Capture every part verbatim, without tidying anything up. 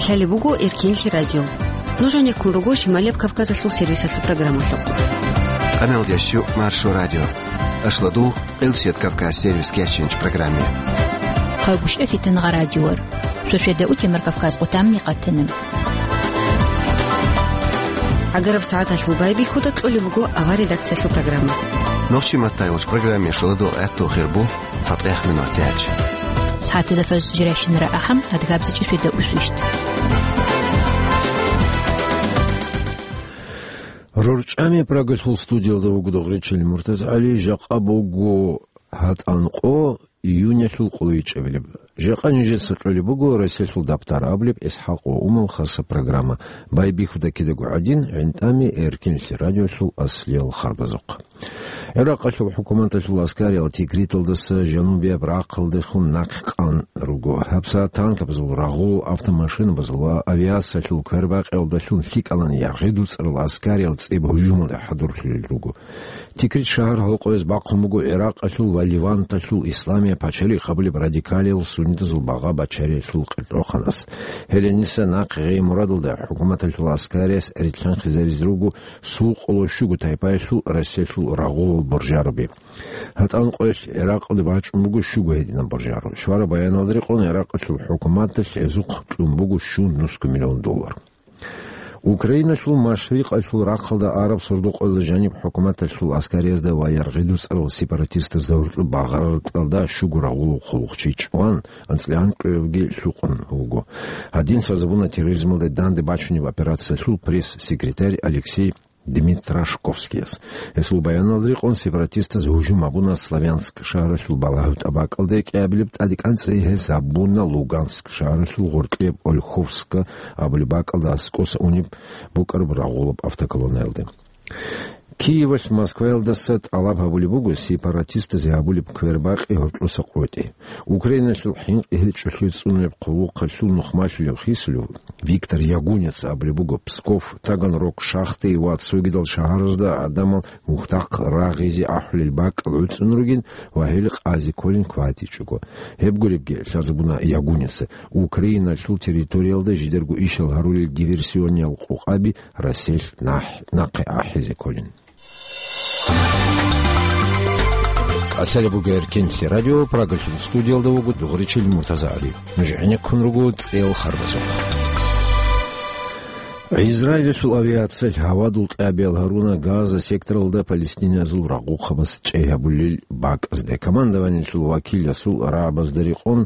Лъалеб буго Эркинлъи радио. Нуж гӀенеккун руго Шималияб Кавказалъул сервисалъул программалъухъ. Къаналдящу Маршо радио. Ашладул, Къилсият Кавказ сервис кечинч программе. Хъагушев Фитангъа радиор. Шошеда утемар Кавказ къутамни къатана. ГӀагараб сагӀаталъул байбихьуда кьолеб буго авар редакциялъул программа. Нохчи маттайгъуч программе шуладул гӀатту хирбу. ЦатӀех минут тяч. СагӀатазда фаз жирайщинара ахӀам, адгабзичӀи сведа усвищт. РорчӀами Прагалъул студиялда вуго Дугъричил МуртазагӀали, жакъа буго гьатӀанкъо июнялъул къулайчӀебилеб. Жакъа нижеца кьолеб буго Россиялъул дабтар абулеб ИсхӀакъ ва Умал хаса программа. Байбихьуда кидаго гӀадин, гӀинтӀами Эркинлъи радиолъул аслиял харбазухъ. ГӀиракъалъул хӀукуматалъул аскариял Тикриталдаса жанубияб рахъалдехун нахъе къан руго. ГьабсагӀат танкабазул, рагъул автомашинабазул ва авиациялъул квербакъиялдалъун лъикӀалан яргъи дуцӀарал аскариял цӀиб гьужумалде хӀадурлъулел руго. Тикрит шагьар гьалкъояз бахъун буго ГӀиракъалъул ва Леванталъул исламияб пачалихъ абулеб радикалиял суннитазул багъа бачариялъул къилкьоханас. Гьелениса нахъе гъей мурадалда хӀукуматалъул аскарияс рилълъанхъизаризе руго сулкъула щуго тайпаялъул Россиялъул рагъулал боржаруби. ГьатӀанкъоялъ ГӀиракъалде бачӀун буго щуго гьединаб боржару. Щвараб баяналда рекъон, ГӀиракъалъул хӀукуматалъ гьезухъ кьун буго щун нусго миллион доллар. Украиналъул машрикъалъул рахъалда араб сордо-къоялда жаниб хӀукуматалъул аскариязда ва яргъи дуцӀарал сепаратистазда гьоркьоб багъараркьалда щуго рагъулав хъулухъчи чӀван, анцӀила анкьабги лъукъун вуго. Гьадин лъазабуна терроризмалда данде бачунеб операциялъул пресс-секретарь Алексей Дмитрашковскияс. Гьесул баяналда рекъон, сепаратистаз гьужум гьабуна Славянск шагьаралъул балагьу тӀабакӀалде кӀиабилеб тӀадекӀанцӀи, гьес гьабуна Луганск шагьаралъул гъоркьияб Ольховска абулеб бакӀалда аскӀоса унеб букӀараб рагъулаб автоколоннаялде. Киевалъ Москваялдаса тӀалаб гьабулеб буго сепаратистазе гьабулеб квербакъи гьоркьоса къотӀи. Украиналъул хӀинкъи гьечӀолъи цӀунулеб хъулухъалъул нухмалъулев хисулев Виктор Ягунец абулеб буго, Псков, Таганрог, Шахты ва цогидал шагьаразда гӀадамал мухьдахъ рагъизе ахӀулел бакӀал гӀуцӀун ругин ва гьел къазе кколин кватӀичӀого. Гьеб гуребги, лъазабуна Ягунеца, Украиналъул территориялда жидерго ишал гьарулел диверсиониял къокъаби Россиялъ нахъ-, нахъе ахӀизе кколин. Лъалеб буго Эркинлъи радио, Прагалъул студиялда вуго Дугъричил МуртазагӀали. Нуж гӀенеккун руго цӀел харбазухъ. Израилалъул авиациялъ гьавадул кьабиял гьаруна Газа секторалда палестиниязул рагъухъабаз чӀей гьабулел бакӀазде. Командованиялъул вакиласул рагӀабазда рекъон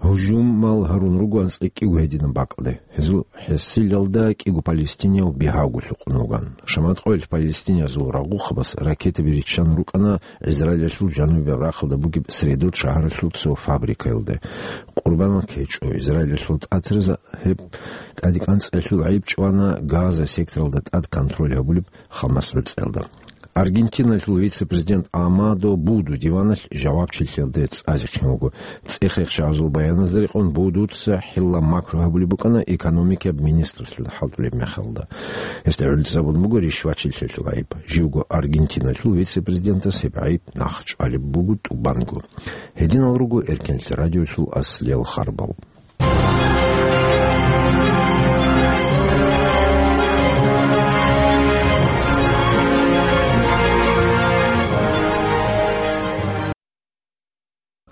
гьужумал гьарун руго анцӀила кӀиго гьединаб бакӀалде. Гьезул хӀасилалда кӀиго палестинияв бигьавго лъукъун вуган. Шаматкъоялъ палестиниязул рагъухъабаз ракетаби риччан рукӀана Израилалъул жанубияб рахъалда бугеб Средот шагьаралъул цо фабрикаялде. Къурбанал ккечӀо. Израилалъул тӀатирза гьеб тӀадекӀанцӀиялъул гӀайиб чӀвана Газа секторалда тӀад контроль гьабулеб Хамас гӀуцӀиялда. Аргентиналъул вице-президент Амадо Буду диваналъ жавабчилъиялде цӀалихъин вуго. ЦӀех-рехчагӀазул баяназда рекъон, Будуца хӀилла макру гьабулеб букӀана экономикияб министрлъун хӀалтӀулеб мехалда. Гьесда гӀурлуцӀ абун буго ришвачилъиялъул гӀайиб. Живго Аргентиналъул вице-президентас гьеб гӀайиб нахъчӀвалеб буго тӀубанго. Гьединал руго Эркинлъи радиолъул аслиял харбал.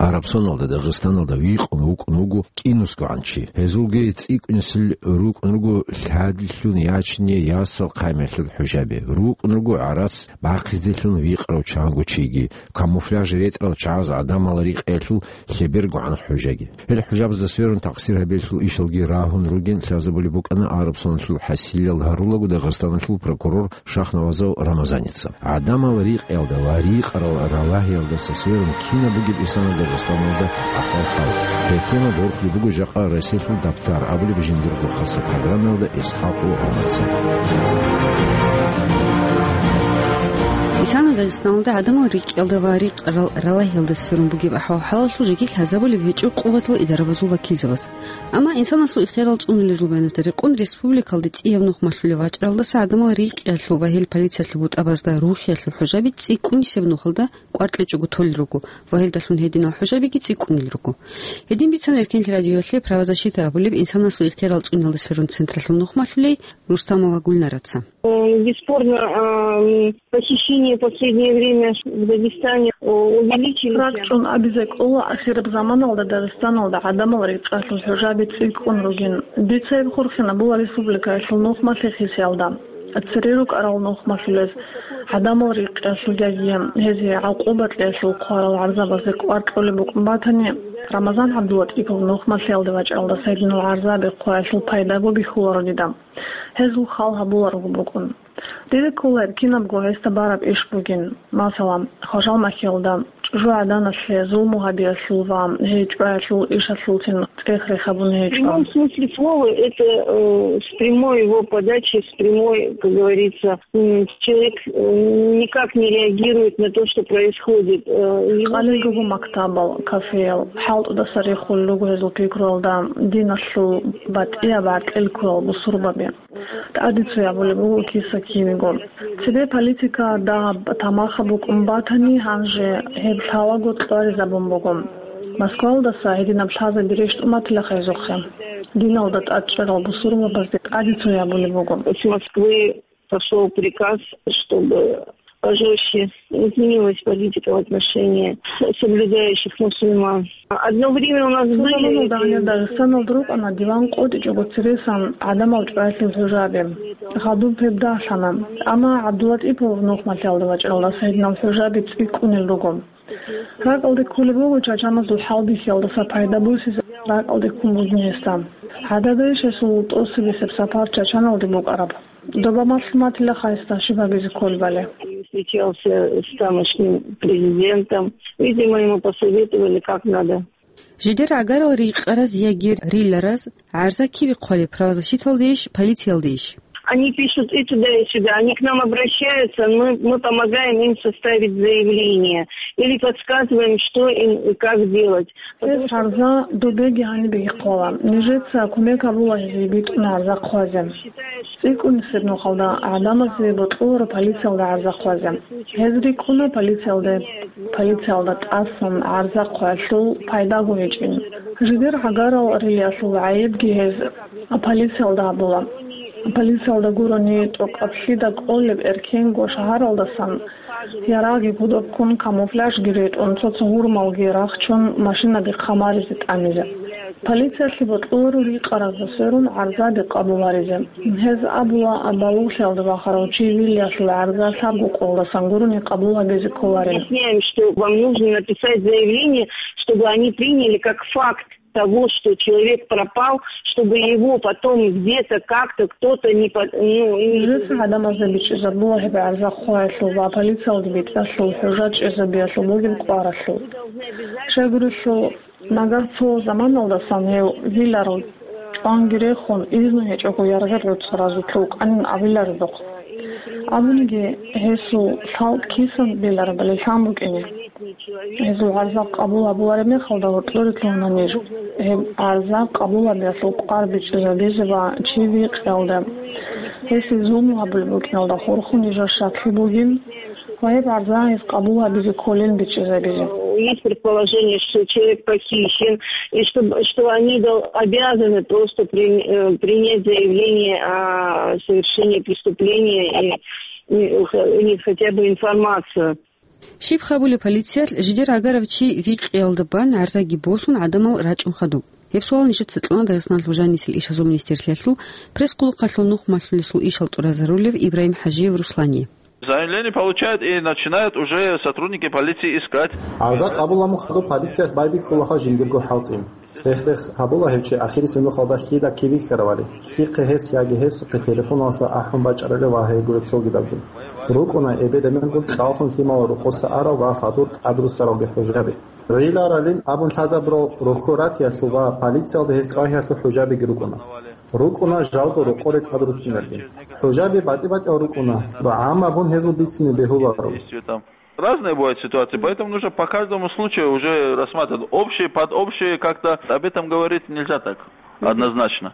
Арабсоналда Дагъистаналда вихъун вукӀун вуго кӀинусгогӀан чи. Гьезулги цӀикӀкӀунесел рукӀун руго лъадилъун ячине ясал хъаймалъул хӀужаби. РукӀун руго гӀарац бахъизелъун вихъарав чанго чиги. Камуфляж ретӀарал чагӀаз гӀадамал рикъиялъул лъебергогӀан хӀужаги. Гьел хӀужабазда сверун такъсир гьабиялъул ишалги рагьун ругин лъазабулеб букӀана арабсоналъул хӀасилал гьарулаго Дагъистаналъул прокурор Шахнавазов Рамазаница. ГӀадамал рикъиялда ва рикъарал ралагьиялдаса сверун кинаб бугеб исана Дагъистаналда ахӀвал-хӀал. Гьеб тема борхулеб буго жакъа Россиялъул дабтар абулеб жиндирго хаса программаялда ИсхӀакъ ГӀумарца. Исана Дагъистаналда гӀадамал рикӀкӀалда ва рикъ рал-, ралагьиялда сверун бугеб ахӀвал-хӀалалъул жеги лъазабулеб гьечӀо къуватал идарабазул вакилзабаз. Амма инсанасул ихтиярал цӀунулел рубаназда рекъон республикалде цӀияб нух малъулев вачӀаралдаса гӀадамал рикӀкӀиялъул ва гьел полициялъул бутӀабазда рухиялъул хӀужаби цӀикӀкӀунисеб нухалда кӀваркьичӀого толел руго ва гьелдалъун гьединал хӀужабиги цӀикӀкӀунел руго. Гьедин бицана Эркенлъи радиоялъе правозащита абулеб инсанасул ихтиярал цӀуниялда сверун централъул нух малъулей Рустамова Гульнараца. Э, бесспорно, а, м, похищения в последнее время в Дагестане, о, увеличились. РакӀчӀун абизе кӀола, ахираб заманалда Дагъистаналда гӀадамал рикӀкӀалъул хӀужаби цӀикӀкӀун ругин. Дица гьеб хурхинабула республикаялъул нухмалъи хисиялда. Цере рукӀарал нухмалъулез гӀадамал рикӀкӀалъул яги гьезие гӀакъуба кьеялъул хъварал гӀарзабазе кӀвар кьолеб букӀун батани, Рамазан ГӀабдулатӀипов нухмалъиялде вачӀаралдаса гьединал гӀарзаби хъваялъул пайдаго бихьуларо дида. Гьезул хал гьабуларого букӀун. Дида ккола гьеб кинабго гьесда бараб иш бугин. Масала, хважал махьиялда, чӀужугӀаданалъе зулму гьабиялъул ва гьей чӀваялъул ишалъулцин цӀех-рех гьабун В гьечӀо. Прямом смысле слова это, э, с прямой его подачи, с прямой, как говорится, м, человек, э, никак не реагирует на то, что происходит. Э, его Къалил руго мактабал, кафеял, хӀалтӀудаса рехулел руго гьезул пикруялда диналъул батӀияб гӀаркьел ккурал бусурбаби. ТӀаде цоябулеб буго киса-кивего. Цебе политика, дагьаб, тамаха букӀун батани, гьанже гьеб лъалаго кьваризабун буго. Москвалдаса гьединаб лъазаби рещтӀун батила хайзухъе. Диналда тӀад чӀарал бусурбабазде тӀаде цоябулеб буго. С Москвы пошёл приказ, чтобы пожёстче изменилась политика в отношении соблюдающих мусульман. Одно время у нас были Цо заманалда гьанир Дагъистаналда рукӀана диван къотӀичӀого цересан гӀадамал чӀваялъул хӀужаби. Гъадуб гьеб дагьлъана. Амма ГӀабдулатӀипов нухмалъиялда вачӀаралдаса гьединал хӀужаби цӀикӀкӀунел руго. РакӀалде кколеб буго чачаназул хӀалбихьиялдаса пайда босизе ракӀалде ккун бугин гьесда. ГӀадада иш гьесул тӀоцебесеб сапар Чачаналде букӀараб. Доба малъун батила хайсда щиб гьабизе кколебали. Встречался с тамошним президентом. Видимо, ему посоветовали, как надо. Жидер гӀагарал рикъараз яги рилараз гӀарза киве хъвалеб, правозащиталдейищ, полициялдейищ? Они пишут и туда, и сюда. Они к нам обращаются, мы, мы помогаем им составить заявление или подсказываем, что им и как делать. Гьез гӀарза добеги гьанибеги хъвала. Нижеца кумек гьабула гьезие битӀун гӀарза хъвазе. ЦӀикӀкӀунисеб нухалда гӀадамазе бокьуларо полициялда гӀарза хъвазе. Гьез рикӀкӀуна полициялда, полициялда тӀасан гӀарза хъваялъул пайдаго гьечӀин. Жидер гӀагарал рилиялъул гӀайибги гьез полициялда гьабула. Полициялда гурони, тӀокӀаб лъида кӀолеб эркенго шагьаралдасан, ярагъги гудоб ккун, камуфляжги ретӀун, цо-цо гьурмалги рахчун, машинаби хъамаризе тӀамизе. Полициялъе бокьуларо рикъаразда сверун гӀарзаби къабул гьаризе. Гьез абула, балугълъиялда вахарав чи вилиялъул гӀарза лъабго къолдасан гурони къабул гьабизе кколарин. Объясняем, что вам нужно написать заявление, чтобы они приняли как факт того, что человек пропал, чтобы его потом где-то как-то кто-то не по-, ну, не Жеца гӀадамазда бичӀчӀизабула гьеб гӀарза хъваялъул ва полициялде битӀиялъул хӀужа чӀезабиялъул бугеб кӀваралъул. Щайгурелъул, нагагь цо заманалдасан гьев виларал чӀванги рехун, изну гьечӀого яргъи гӀуцӀаразулъ вукӀанин абиларедухъ. Абуниги, гьесул лъалкӀ кисан биларабали лъан букӀине. Гьезул гӀарза къабул гьабулареб мехалда гьоркьоре лъугьуна ниж. Гьеб гӀарза къабул гьабиялъул кӀвар бичӀчӀизабизе ва чи викъиялда, гьесие зулму гьабулеб букӀиналда хурхун нижер щаклъи бугин ва гьеб гӀарза гьез къабул гьабизе кколин бичӀчӀизабизе. Есть предположение, что человек похищен, и что, что они дол-, обязаны просто при-, э, принять заявление о совершении преступления и, и, или хотя бы информацию. Щиб гьабулеб полициялъ жидер гӀагарав чи викъиялда бан гӀарзаги босун гӀадамал рачӀун хадуб? Гьеб суал нижеца кьуна Дагъистаналъул жанисел ишазул министрлъиялъул пресс-къулухъалъул нух малъулесул ишал тӀуразарулев Ибрагьим ХӀажиев Руслание. Заявление получают и начинают уже сотрудники полиции искать. ГӀарза къабул гьабун хадуб полициялъ байбихьулаха жиндирго хӀалтӀи. ЦӀех-рех гьабула гьев чи ахирисеб нухалда лъида кивихьаравали, лъихъе гьес яги гьесухъе телефоналъа ахӀун бачӀарали ва гьейгура цогидабги. РукӀуна эбел-эменгун кьалхун лъимал рокъоса арал ва хадур тӀадруссаралги хӀужаби. Риларалин абун лъазабурал рохьо ратиялъул ва полициялда гьез тӀагьиялъул хӀужабиги рукӀуна. РукӀуна жалго рокъоре тӀадруссинабги. ХӀужаби батӀи-батӀиял рукӀуна ва гӀаммаб гьезул бицине бегьуларо. Разные бывают ситуации, поэтому нужно по каждому случаю уже рассматривать. Общие, под общие как-то об этом говорить нельзя так однозначно.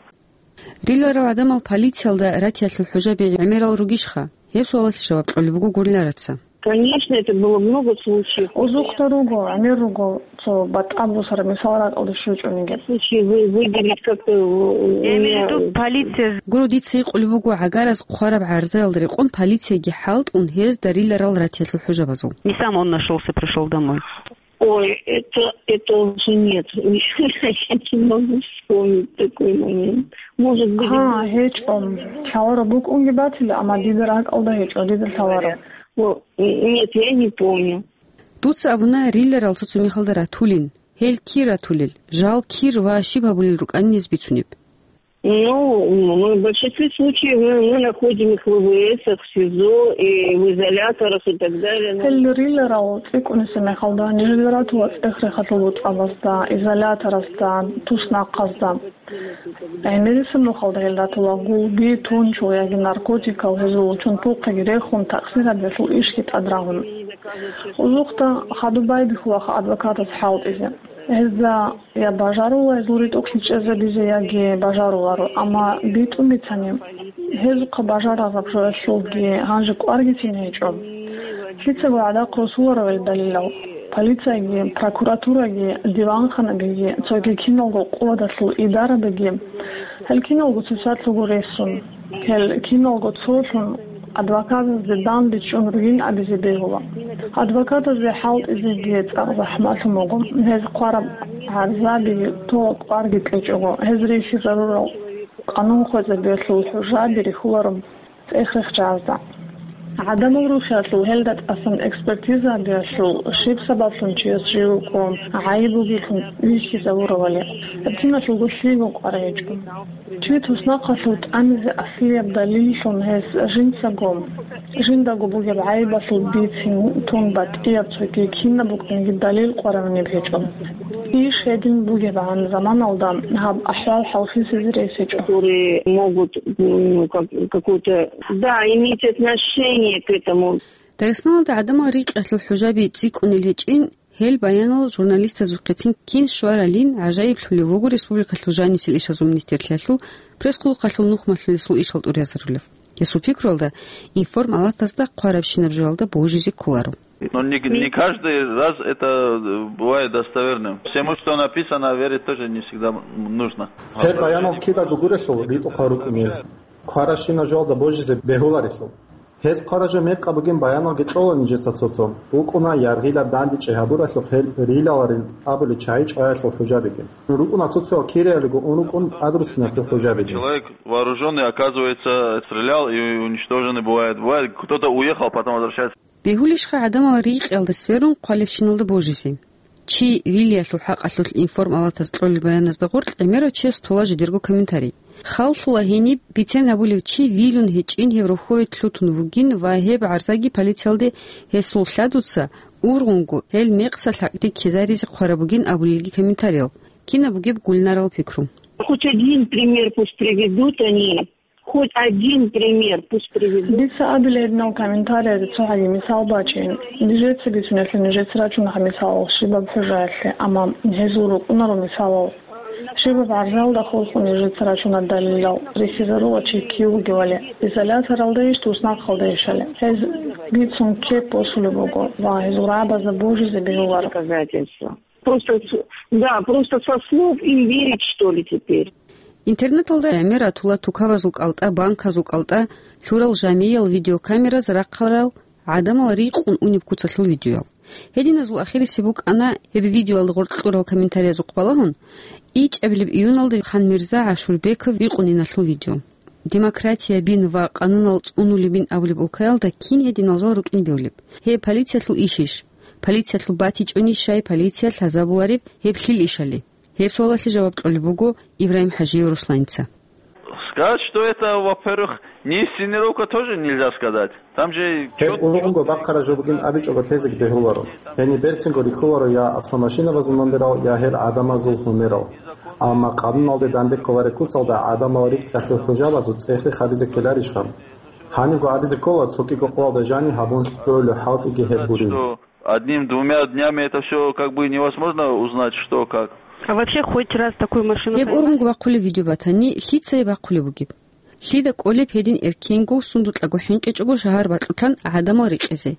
Риларал гӀадамал полициялда ратиялъул хӀужаби гӀемерал ругищха? Гьеб суалалъе жаваб кьолеб буго Гуллараца. Конечно, это было много случаев. Озухъда руго, гӀемер руго, цо батӀа бусара мисал ракӀалде щвечӀониги. Случаи вы-, выделить как-то, э, Я имею в виду, полиция. Гуро, дица гьикъулеб буго, гӀагараз хъвараб гӀарзаялда рекъон полицияги хӀалтӀун гьезда риларал ратиялъул хӀужабазул. Не сам он нашёлся, пришёл домой. Ой, это, это уже нет. Я не могу вспомнить такой момент. Может быть, Гьа, гьечӀо. Лъаларо букӀунги батила, амма дида ракӀалда гьечӀо, дида лъаларо. О, нет, я не помню. Дуца абуна, риларал цо-цо мехалда ратулин. Гьел кир ратулел, жал кир ва щиб гьабулел рукӀанин гьез бицунеб. Ну, мы в большинстве случаев мы, мы находим их в ВВС-ах, в СИЗО и в изоляторах и так далее. Ну, Гьел риларал цӀикӀкӀунесеб мехалда, нижеда ратула цӀех-рехалъул бутӀабазда, изоляторазда, туснахъазда. ГӀемерисеб нухалда гьел ратула гулби, тунчул яги наркотикал, гьезул чунпухъиги рехун, такъсирабиялъул ишги тӀадрагьун. Озухъда хадуб байбихьулаха адвокатас хӀалтӀизе. Гьезда я бажарула гьезул ритӀухълъи чӀезабизе, яги бажаруларо, амма битӀун бицани, гьезухъа бажарараб жоялъулги гьанже кӀваргицин гьечӀо. Лъицаго гӀадахъ росуларо гьел далилал. Полицияги, прокуратураги, диванханабиги, цоги киналго къуладалъул идарабиги, гьел киналго цоцалъуго ресун, гьел киналго цолъун, адвокатазде данде чӀун ругин абизе бегьула. Адвокатазде хӀалтӀизеги цӀакъ захӀмалъун буго, гьез хъвараб гӀарзаби тола кӀварги кьечӀого, гьез рихьизарурал къанун хвезабиялъул хӀужаби рихьуларо цӀех-рехчазда. ГӀадамал рухиялъул гьелда тӀасан экспертиза гьабиялъул, щиб сабаблъун чияс жив вукӀо, гӀайиб бугелъун вихьизавуравали, гьеб киналъулго лъиго кӀвар гьечӀо. Чи туснахъалъув тӀамизе аслияб далиллъун гьес жинцаго, жиндаго бугеб гӀайибалъул бицин тун батӀияб цоги кинаб букӀаниги далил къвараб гьечӀо. Иш гьедин бугебгӀан заманалда гьаб ахӀвал хӀалхисезе рес гьечӀо. Которые могут, м, как, какое-то, да, иметь отношение к этому. Дагъистаналда гӀадамал рикъиялъул хӀужаби цӀикӀкӀунел гьечӀин, гьел баянал журналистазухъецин кин щваралин гӀажаиблъулев вуго республикалъул жанисел ишазул министрлъиялъул пресс-хъулухъалъул нухмалъулесул ишал тӀуразарулев. Гьесул пикруялда, информалатазда хъварабщинаб жоялда божизе кколаро. Но не, не каждый раз это, э, бывает достоверным. Всему, что написано, верить тоже не всегда нужно. Гьеб баянал кидаго гурелъул ритӀухъал рукӀунел, хъварабщинаб жоялда божизе бегьуларелъул. Гьез хъвараб жо мекъаб бугин баяналги кьола нижеца цо-цо. БукӀуна яргъилаб дандечӀей гьабуралъухъ гьел рилаларин абулел чагӀи чӀваялъул хӀужабиги. РукӀуна цо-цоял кириялиго ун рукӀун тӀадруссиналъул хӀужабиги. Человек вооружённый, оказывается, стрелял и уничтоженный бывает. Бывает, кто-то уехал, потом возвращается. Бегьулищха гӀадамал рикъиялда сверун хъвалебщиналда божизе? Чи вилиялъул хӀакъалъулъ информалатаз кьолел баяназда гъоркь гӀемерав чияс тола жидерго комментарий. Халлъула гьениб бицен гьабулев чи вилун гьечӀин гьев рохьове лъутун вугин ва гьеб гӀарзаги полициялде гьесул лъадуца ургъунго гьел мекъса лъакъде ккезаризе хъвараб бугин абулелги комментариял. Кинаб бугеб Гульнарал пикру? Хоть один пример пусть приведут они. Хоть один пример пусть приведут. Дица абила гьединал комментарияда цо гьаги мисал бачейин. Нижеца бицунелъул нижеца рачуна гьаб мисалал щибаб хӀужаялъе, амма гьезул рукӀунаро мисалал. Щибаб гӀарзалда хурхун нижеца рачуна далилал, рихьизарула чи кив вугевали, изоляторалдайищ, туснахъалдайищали. Гьез бицун кеп босулеб буго ва гьезул рагӀабазда божизе бегьуларо. Доказательства. Просто с-, да, просто со слов им верить, что ли, теперь? Интернеталда гӀемер ратула тукабазул кӀалтӀа, банказул кӀалтӀа лъурал жамиял видеокамераз рахъарал гӀадамал рикъун унеб куцалъул видеоял. Гьединазул ахирисеб букӀана гьеб видеоялда гъоркь кьурал комментариязухъ балагьун, ичӀабилеб июналда хан Мирза ГӀашурбеков викъуниналъул видео. Демократиябин ва къанунал цӀунулебин абулеб улкаялда кин гьединал жал рукӀин бегьулеб? Гьеб полициялъул ишищ? Полициялъул батичӀунищай полиция лъазабулареб гьеб лъил ишали? Гьеб суалалъе жаваб кьолеб буго Ибрагьим ХӀажиев Русланца. Сказать, что это, во-первых, Инсценировка тоже нельзя сказать. Там же Гьеб чётко, ургъунго чётко бахъараб жо бугин абичӀого тезеги бегьуларо. Гьениб берцинго рихьуларо я автомашинабазул номерал, я гьел гӀадамазул гьумерал. Амма къануналде данде кколареб куцалда гӀадамал рикӀкӀалъул хӀужабазул цӀехлъи хабизе ккеларищха? Гьанибго абизе ккола, цо кӀиго къоялда жанив гьабун лъолеб хӀалтӀиги гьеб гурин. Что одним-двумя днями это всё как бы невозможно узнать, что как. А вообще хоть раз такую машину Гьеб поймали? Ургъунго бахъулеб видео батани, лъица гьеб бахъулеб бугеб? Лъида кӀолеб гьедин эркенго, сундукьаго хӀинкъичӀого шагьар бакьулъан гӀадамал рекъезе?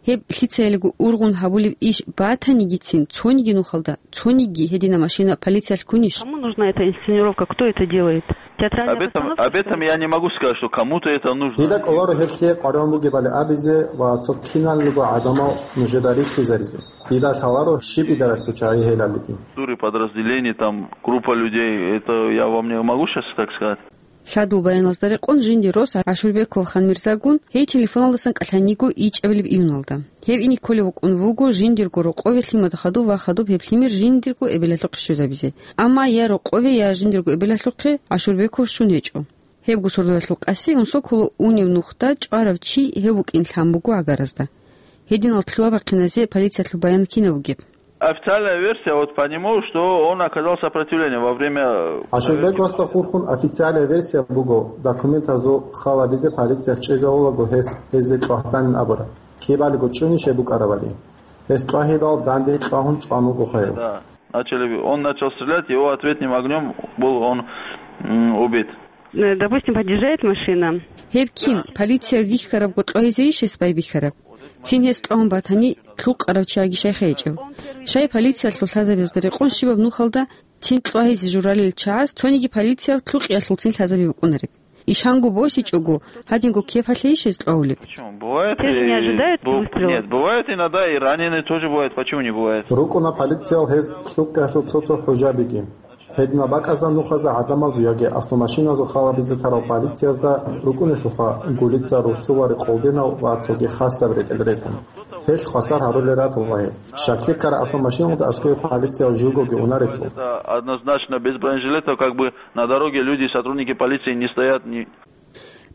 Гьеб лъицаялиго ургъун гьабулеб иш батанигицин цониги нухалда, цониги гьедина машина полициялъ ккунищ? Кому нужна эта инсценировка? Кто это делает? Театральная Об этом, постановка, об что этом ли? Я не могу сказать, что кому-то это нужно. Дида кӀоларо гьеб лъие къваригӀун бугебали абизе ва цо киналго гӀадамал нужеда рихьизаризе. Дида лъаларо щиб идаралъул чагӀи гьелаллъиги. Структуры, подразделения, там, группа людей, это я вам не могу сейчас так сказать. Лъадул баяналазда рекъон жиндир рос ГӀашурбеков Ханмирзагун гьей телефоналдасан кӀалъаниго ичӀабилеб июналда. Гьев ине кколев вукӀун вуго жиндирго рокъове лъимада хадуб ва хадуб гьеб лъимер жиндирго эбелалъухъе щвезабизе. Амма я рокъове, я жиндирго эбелалъухъе ГӀашурбеков щун гьечӀо. Гьебго сордоялъул къаси Унсоколо унев нухда чӀварав чи гьев вукӀин лъан буго гӀагаразда. Гьединал лъугьа-бахъиназе полициялъул баян кинаб бугеб? Официальная версия, вот по нему, что он оказал сопротивление во время, э, ГӀашурбеков проверки. Васда хурхун официальная версия буго, документазул хал гьабизе полициялъ чӀезавулаго гьес гьезде кьвагьданин абураб. Кибалиго чӀунищ гьеб букӀарабали. Гьес кьвагьидал данде кьвагьун чӀван вуго хъайгьу. Да. Начали, он начал стрелять, его ответным огнём был он, м, убит. Э, допустим, подъезжает машина. Гьеб кин, полиция вихьарабго кьвагьизейищ гьес байбихьараб? Цин гьес кьвагьун батани, лъукъарав чияги щайха гьечӀев. Щай полициялъул лъазабиялда рекъон щибаб нухалда цин кьвагьизе журалел чагӀаз цониги полициялъ лъукъиялъулцин лъазаби букӀунареб? Ишанго босичӀого, гьадинго кепалъейищ гьез кьвагьулеб? Почему? Бывает. Те же не и ожидают бу-, выстрела? Нет, бывает иногда и раненые тоже бывают. Почему не бывает? РукӀуна полициял гьез лъукъиялъул цо-цо хӀужабиги. Гьединаб бакӀазда нухазда гӀадамазул яги автомашиназул хал гьабизе тарал полициязда рукӀунелъулха гулица рурсулари къолдинал ва цоги хасаб ретӀел рекӀун. Гьелъ хвасар гьарулел ратула гьеб. Щаклъи ккараб автомашиналда аскӀове полициял живгоги унарелъул. Это однозначно без бронежилетов, как бы, на дороге люди, сотрудники полиции не стоят, не...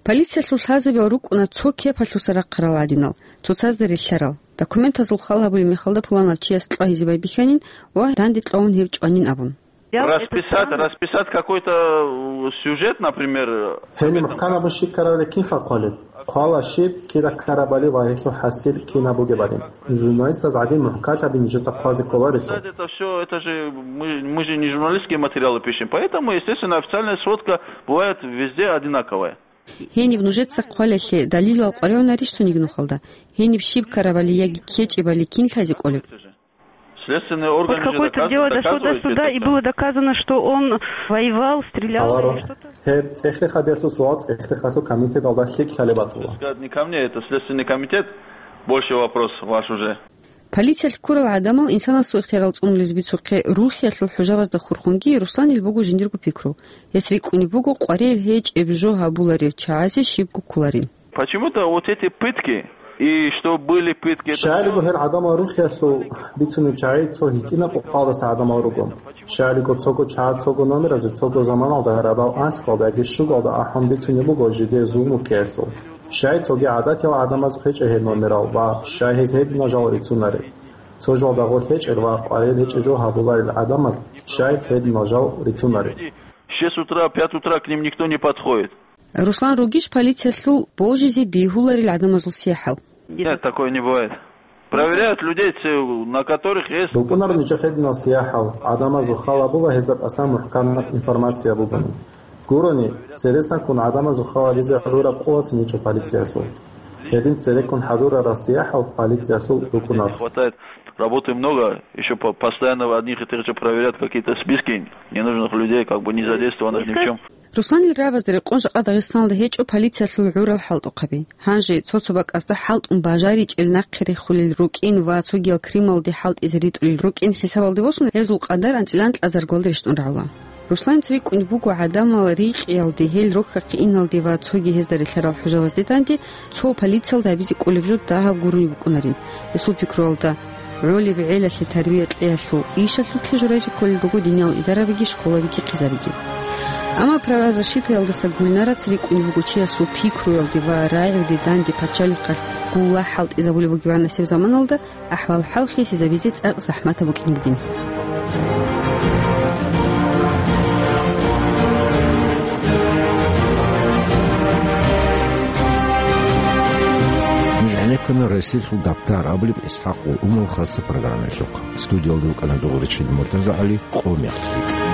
Полициялъул лъазабиял рукӀуна цо кепалъуса рахъарал гӀадинал, цоцазда релълъарал, документазул хал гьабулеб мехалда пуланав чияс кьвагьизе байбихьанин ва данде кьвагьун гьев чӀванин абун. Расписать, расписать какой-то, э, сюжет, например. Гьениб мухӀкан абун щиб ккарабали кинха хъвалеб? Хъвала щиб, кида ккарабали ва гьелъул хӀасил кинаб бугебали. Журналистаз гӀадин мухӀканлъаби нижеца хъвазе кколарелъул. Это всё, это же мы, мы же не журналистские материалы пишем, поэтому, естественно, официальная сводка бывает везде одинаковая. Гьениб нужеца хъвалелъе далилал къваригӀунарищ цониги нухалда? Гьениб щиб ккарабали яги кечӀебали кин лъазе кӀолеб? Следственные органы... Вот же какое-то доказывают, дело дошло до доказывают суда, это и всё. Было доказано, что он воевал, стрелял или что-то. Гьаларо. Гьеб цӀехлъи хабиялъул суал цӀехлъи халъул комитеталда лъикӀ лъалеб батула. Сказать не ко мне, это Следственный комитет, больше вопрос ваш уже. Полициялъ ккурал гӀадамал инсанасул ихтиярал цӀунулез бицухъе рухӀиялъул хӀужабазда хурхунги Русланил буго жиндирго пикру. Гьес рикӀкӀунеб буго къваригӀел гьечӀеб жо гьабуларев чагӀазе щибго кколарин. Почему-то вот эти пытки, и что были пытки, это... Щайилго гьел гӀадамал рухӀиялъул бицунел чагӀи цо гьитӀинаб къокъалдаса гӀадамал руго. Щайилго цого чагӀаз цого номеразе цого заманалда гьарадал анлъго яги щуго ахӀун бицунеб буго жидее зулму ккеялъул. Щай цоги гӀадатиял гӀадамаз гьечӀо гьеб номерал ва щай гьез гьединал жал рицунареб? Цо жал дагъор гьечӀел ва къваригӀел гьечӀеб жо гьабуларел гӀадамаз щай гьединал жал рицунареб? В шесть утра, пять утра к ним никто не подходит. Руслан ругищ полициялъул божизе бегьуларел гӀадамазул сияхӀал? Нет, такое не бывает. Проверяют людей, те, на которых есть... БукӀунар нижехъе гьединал сияхӀал, гӀадамазул хал гьабула гьезда тӀасан мухӀканаб информация бугони. Гурони, цересанккун гӀадамазул хал гьабизе гӀураб къуватни гьечӀо полициялъул. Гьедин цереккун хӀадурарал сияхӀал полициялъул букӀунар. Не хватает, работы много, ещё по-, постоянно одних и тех же проверяют какие-то списки ненужных людей, как бы не задействованных ни в чём. Русланил рагӀабазда рекъон жакъа Дагъистаналда гьечӀо полициялъул гӀурал хӀалтӀухъаби. Гьанже цо-цо бакӀазда хӀалтӀун бажаричӀел нахъе рехулел рукӀин ва цогиял Крымалде хӀалтӀизе ритӀулел рукӀин хӀисабалде босун, гьезул къадар анцӀила анкьазаргвалда рещтӀун рагӀула. Русланил рикӀкӀунеб буго гӀадамал рикъиялде, гьел рохьахъе иналде ва цоги гьезда релълъарал хӀужабазде данде цо полициялда гьабизе кӀолеб жо дагьаб гурони букӀунарин. Гьесул пикруялда, гӀолеб гӀелалъе тарбия кьеялъул ишалъулъе журайзе кколел руго диниял идарабиги школабиги хъизабиги. Амма правозащитаялдаса Гульнараца рикӀкӀунеб буго чиясул пикруялде ва рагӀиялде данде пачалихъалъ гуллагь хӀалтӀизабулеб бугебгӀан нилъер заманалда ахӀвал-хӀал хисизабизе цӀакъ захӀматаб букӀине бугин. Нуж гӀенеккана Расилъул дабтар абулеб ИсхӀакъ ва Умал хасаб программаялъухъ. Студиялда рукӀана Дугъуричил МуртазагӀали, къо мехалъ рикӀкӀ.